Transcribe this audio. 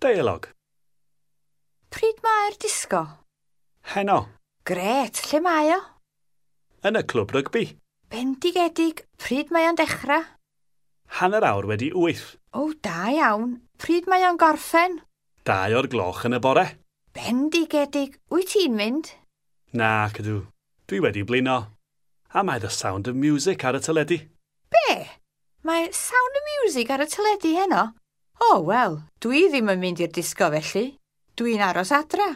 Deialog. Pryd mae'r disgo? Heno. Grêt, lle mae o? Yn y clwb rygbi. Bendigedig, pryd mae o'n dechrau? 8:30. O, da iawn. Pryd mae o'n gorffen? 2 o'r gloch yn y bore. Bendigedig, wyt ti'n mynd? Nac ydw. Dwi wedi blino. A mae The Sound of Music ar y teledu. Be? Mae Sound of Music ar y teledu heno? O, wel, dwi ddim yn mynd i'r disgo felly. Dwi'n aros adra.